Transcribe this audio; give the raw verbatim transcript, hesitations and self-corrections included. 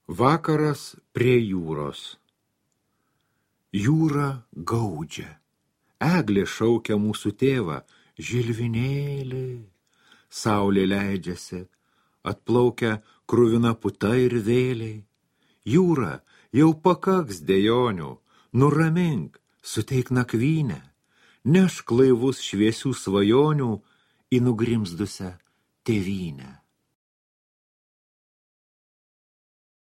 Vakaras prie jūros. Jūra gaudžia. Eglė šaukia mūsų tėvą, žilvinėlį. Saulė leidžiasi, atplaukia kruvina puta ir vėliai. Jūra, jau pakaks dejonių, nuramink, suteik nakvynę, nešk laivus šviesių svajonių į nugrimzdusią tėvynę.